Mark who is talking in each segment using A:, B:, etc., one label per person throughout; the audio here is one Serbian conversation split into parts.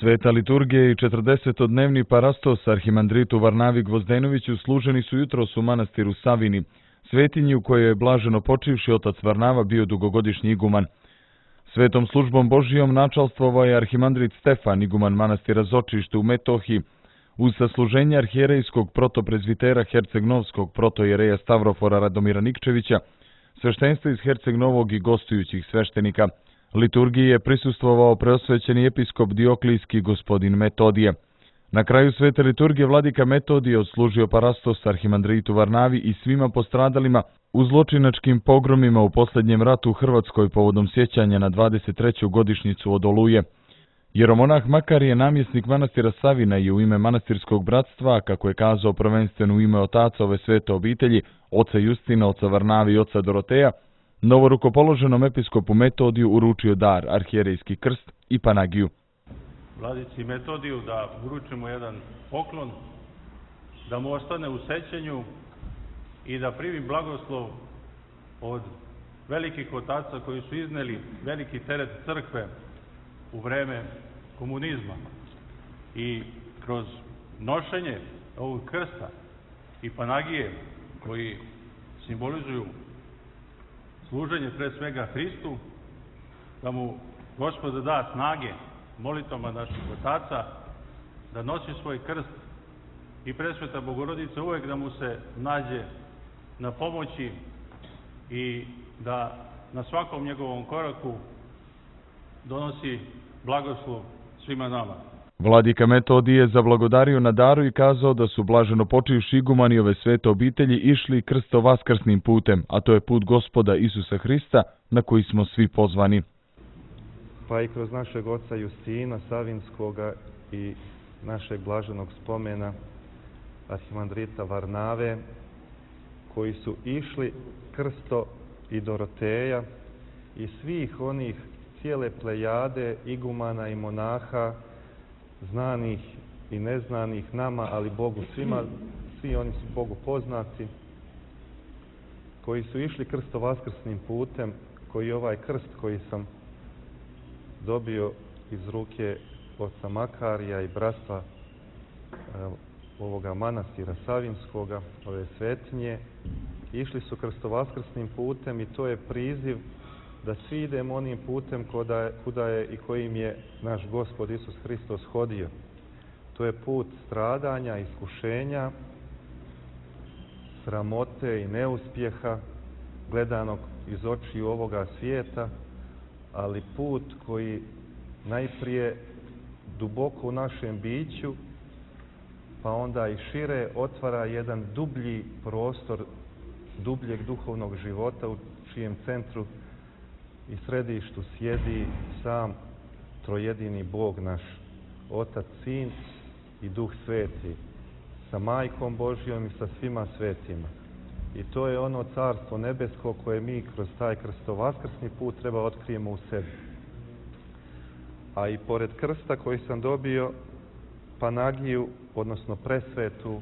A: Sveta liturgija i 40-dnevni parastos arhimandritu Varnavi Gvozdenoviću služeni su jutros u manastiru Savini, svetinji u kojoj je blaženo počivši otac Varnava bio dugogodišnji iguman. Svetom službom Božijom načalstvovao je arhimandrit Stefan, iguman manastira Zočište u Metohiji, uz sasluženje arhijerejskog protoprezvitera Herceg-Novskog protojereja Stavrofora Radomira Nikčevića, sveštenstva iz Herceg-Novog i gostujućih sveštenika. Liturgiji je prisustvovao preosvećeni episkop Dioklijski gospodin Metodije. Na kraju svete liturgije vladika Metodije odslužio parastos arhimandritu Varnavi i svima postradalima u zločinačkim pogromima u posljednjem ratu u Hrvatskoj povodom sjećanja na 23. godišnjicu od Oluje. Jeromonah Makar je namjesnik manastira Savina i u ime manastirskog bratstva, kako je kazao prvenstveno u ime otaca ove svete obitelji, oca Justina, oca Varnavi i oca Doroteja, novorukopoloženom episkopu Metodiju uručio dar, arhijerejski krst i panagiju.
B: Vladici Metodiju da uručimo jedan poklon, da mu ostane u sećanju i da primi blagoslov od velikih otaca koji su izneli veliki teret crkve u vreme komunizma. I kroz nošenje ovog krsta i panagije koji simbolizuju služenje pre svega Hristu, da mu Gospod da snage molitvama naših otaca, da nosi svoj krst i Presveta Bogorodica uvek da mu se nađe na pomoći i da na svakom njegovom koraku donosi blagoslov svima nama.
A: Vladika Metodije je zablagodario na daru i kazao da su blaženo počivši igumani ove svete obitelji išli krsto-vaskrsnim putem, a to je put Gospoda Isusa Hrista na koji smo svi pozvani.
C: Pa i kroz našeg oca Justina Savinskoga i našeg blaženog spomena arhimandrita Varnave, koji su išli krsto i Doroteja i svih onih cijele plejade igumana i monaha, znanih i neznanih nama, ali Bogu svima, svi oni su Bogu poznati, koji su išli krsto-vaskrsnim putem, koji ovaj krst koji sam dobio iz ruke oca Makarija i bratstva ovoga manastira Savinskoga, ove svetinje, išli su krsto-vaskrsnim putem i to je priziv da svi idemo onim putem kuda je i kojim je naš Gospod Isus Hristos hodio. To je put stradanja, iskušenja, sramote i neuspjeha, gledanog iz očiju ovoga svijeta, ali put koji najprije duboko u našem biću, pa onda i šire otvara jedan dublji prostor dubljeg duhovnog života u čijem centru i središtu sjedi sam trojedini Bog naš, Otac, Sin i Duh Sveti, sa Majkom Božjom i sa svima svetima. I to je ono carstvo nebesko koje mi kroz taj krsto-vaskrsni put treba otkrijemo u sebi. A i pored krsta koji sam dobio panagiju, odnosno presvetu,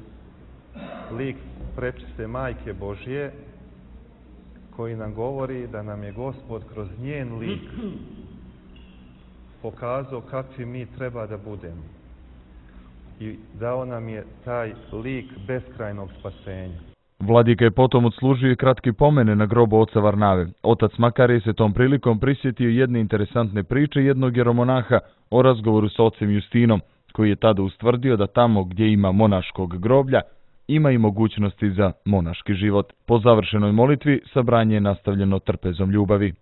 C: lik prečiste Majke Božje, koji nam govori da nam je Gospod kroz njen lik pokazao kakvi mi treba da budemo. I dao nam je taj lik beskrajnog spasenja.
A: Vladika je potom odslužio i kratki pomene na grobu oca Varnave. Otac Makar je se tom prilikom prisjetio jedne interesantne priče jednog jeromonaha o razgovoru sa ocem Justinom, koji je tada ustvrdio da tamo gdje ima monaškog groblja, ima i mogućnosti za monaški život. Po završenoj molitvi sabranje je nastavljeno trpezom ljubavi.